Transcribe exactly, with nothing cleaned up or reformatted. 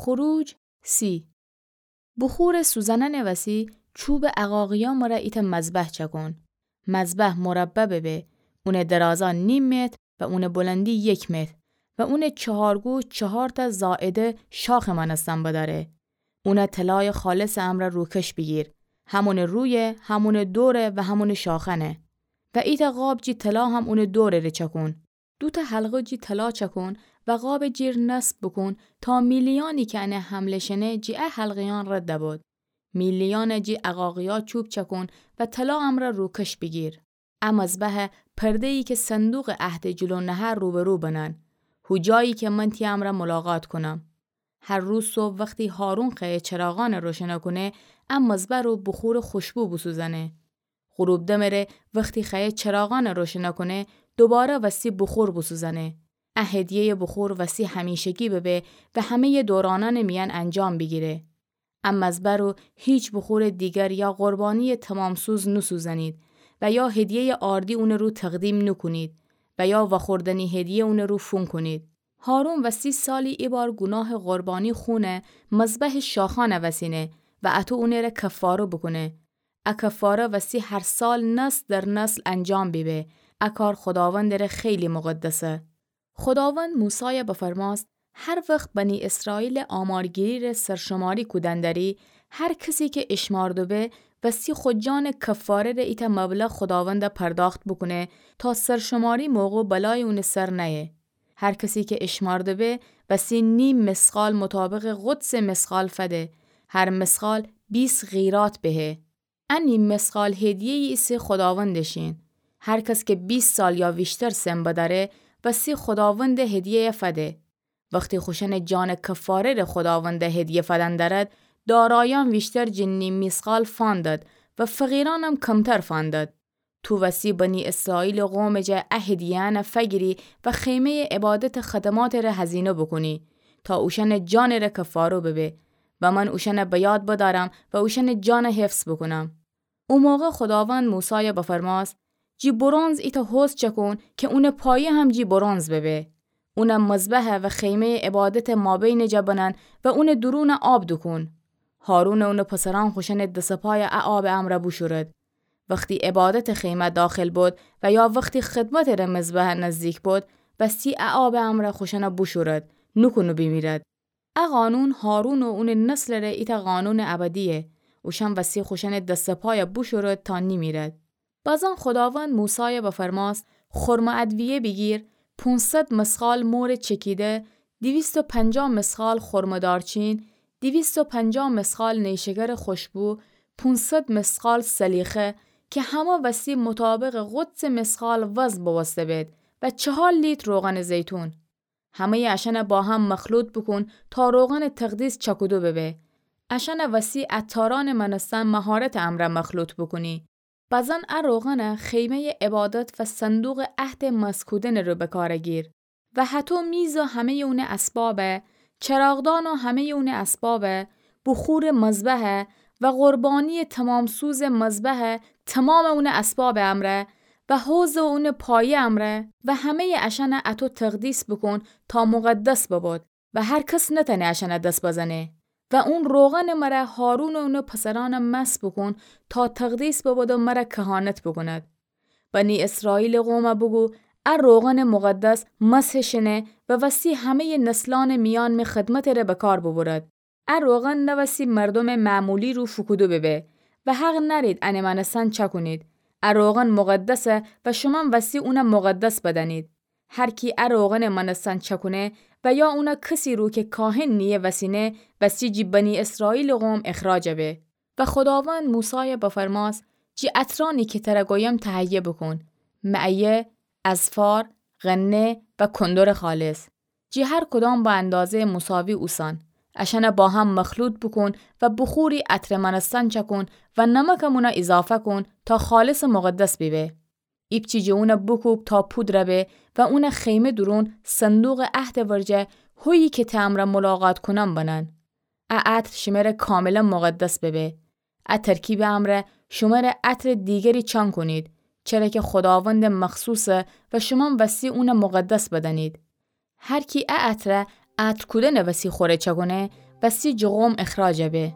خروج سی. بخورٚ سوزنأنٚ وسی چوبٚ عقاقیأ مره ایتأ مذبح چأکون. مذبح مربع ببه، اونٚ درازأ نیم متر و اونٚ بلندی یک متر و اونٚ چهارگو چهارتأ زائده شاخٚ مأنستن بدأره. اونَ طلایٚ خالصٚ امرأ روکش بیگیر، همونٚ رویه، همونٚ دوره و همونٚ شاخأنه. و ایتأ قاب جی طلا هم اونٚ دورٚ ره چأکون. دوتأ حلقه جی طلا چأکون و قابٚ جیر نصب بوکون تا میلیأنی کی انه حمله شنه جی ا حلقه‌یأن رد ببود. میلیأنَ جی عقاقیأ چوب چأکون و طلا امرأ روکش بیگیر. ا مذبحَ پرده‌یی کی صندوقٚ عهدٚ جلو نهه روبرو بنن، هو جایی کی من تی امرأ ملاقات کونم. هر روز صبح وختی هارون خأیه چراغأنَ روشنَ کونه، ا مذبح رو بخورٚ خوشبو بوسوزأنه. غروب دمٚ ره وختی خأیه چراغأنَ روشنَ کونه، دوباره وستی بخور بوسوزأنه. ا هدیه‌یٚ بخور وستی همیشگی ببه و همه‌یٚ دورانأنٚ میأن انجام بیگیره. ا مذبح رو هیچ بخورٚ دیگر یا قربانیٚ تمام‌سوز نوسوزأنید و یا هدیه‌یٚ آردی اونٚ رو تقدیم نوکونید و یا وأخوردنی هدیه اونٚ رو فون کونید. هارون وستی سالی ایبار گوناهٚ قربانی خونَ مذبحٚ شاخأنَ وسینه و اطو اونٚ ره کفاره بوکونه. ا کفاره وستی هر سال نسل در نسل انجام بیبه. ا کار خوداوندٚ ره خیلی مقدسه. خوداوند موسایَ بفرماست: هر وخت بنی اسرائیلٚ آمارگیری ره سرشماری کودن دأری، هر کسی کی اشمأردوبه، وستی خو جانٚ کفاره ره ایتأ مبلغ خوداوندَ پرداخت بوکونه تا سرشماری موقع بلایی اونٚ سر نأیه. هر کسی کی اشمأردوبه، وستی نیم مثقال مطابقٚ قدسٚ مثقال فده، هر مثقال بیست قیراط بهه. ا نیم مثقال هدیه‌یی ایسه خوداوندٚ شین. هر کس کی بیست سال یا ویشتر سن بدأره، وستی خوداوندٚ هدیه‌یَ فده. وختی خوشأنٚ جانٚ کفاره ره خوداوندَ هدیه فدن دأرد، دارایأن ویشتر جٚه نیم مثقال فأندد و فقیرأنم کمتر فأندد. تو وستی بنی اسرائیلٚ قومٚ جا ا هدیه‌یأنَ فگیری و خیمه‌یٚ عبادتٚ خدماتٚ ره هزینه بوکونی تا اوشأنٚ جانٚ ره کفاره ببه و من اوشأنَ به یاد بدأرم و اوشأنٚ جانَ حفظ بوکونم. او موقع خوداوند موسایَ بفرماست: جی برنز ایتأ حوض چأکون کی اونٚ پایه هم جی برنز ببه. اونَ مذبح و خیمه‌یٚ عبادتٚ مابینٚ جا بنن و اونٚ دورونَ آب دوکون. هارون و اونٚ پسرأن خوشأنٚ دس و پایَ ا آبٚ امرأ بوشورد. وختی عبادتٚ خیمه داخل بد و یا وختی خدمتٚ ره مذبح نزدیک بد، وستی ا آبٚ امرأ خوشأنَ بوشورد، نوکون و بیمیرد. ا قانون هارون و اونٚ نسلٚ ره ایتأ قانونٚ ابدییه. اوشأن وستی خوشأنٚ دس و پایَ بوشورد تا نیمیرد. بازان خوداوند موسایَ بفرماست: خرمه ادویه بیگیر، پونصد مثقال مورٚ چکیده، دویست و پنجاه مثقال خرمه دارچین، دویست و پنجاه مثقال نیشکرٚ خوشبو، پونصد مثقال سلیخه کی همه وستی مطابقٚ قدسٚ مثقال وزن بوسته بید و چهار لیتر روغنٚ زیتون. همه‌یٚ اشأنَ با هم مخلوط بوکون تا روغنٚ تقدیس چأکودو ببه. اشأنَ وستی عطارأنٚ مأنستن مهارتٚ امرأ مخلوط بوکونی. بازان ا روغنَ خیمه‌یٚ عبادت و صندوقٚ عهدٚ مسح کودنٚ رو به کار گیر و هطو میز و همه‌یٚ اونٚ اسباب، چراغدان و همه‌یٚ اونٚ اسباب، بخورٚ مذبح و قربانیٚ تمام‌سوزٚ مذبح تمامٚ اونٚ اسبابٚ امرأ و حوض و اونٚ پایه امرأ و همه‌یٚ اشأنَ اطو تقدیس بوکون تا مقدس ببود و هر کس نتأنه اشأنَ دس بزنه. و اون روغنٚ مره هارون و اونٚ پسرأنَ مسح بوکون تا تقدیس ببود و مره کهانت بوکوند. بنی اسرائیلٚ قومَ بوگو ا روغنٚ مقدس مسح شنه و وستی همه‌یٚ نسلأنٚ میأن می خدمتٚ ره به کار ببرد. ا روغن نه وستی مردومٚ معمولی رو فوکودو ببه و حق نأرید انٚ مأنستن چأکونید. ا روغن مقدسه و شومأن وستی اونَ مقدس بدأنید. هر کی ا روغنٚ مأنستن چأکونه و یا اونَ کسی رو کی کاهن نییه وسینه، وستی جی بنی اسرائیلٚ قوم اخراج به. و خوداوند موسایَ بفرماست: جی عطرأنی کی تره گویم تهیه بوکون، معیه، اذفار، غنه و کندرٚ خالص. جی هر کدام به اندازه‌یٚ مساوی اوسان. اشأنَ با هم مخلوط بوکون و بخوری عطرٚ مأنستن چأکون و نمکم اونَ اضافه کون تا خالصٚ مقدس بیبه. ایپچی جٚه اونَ بوکوب تا پودر به و اونَ خیمه دورون صندوقٚ عهدٚ ورجه، هویی کی ته امرأ ملاقات کونم بنن. ا عطر شمره کاملا مقدس ببه. ا ترکیبٚ امرأ شمره عطرٚ دیگری چأنکونید، چره کی خوداوندٚ مخصوصه و شومأن وستی اونَ مقدس بدأنید. هر کی ا عطرَ عطر کودنٚ وسی خوره چأکونه، و سی جغوم اخراجَ به.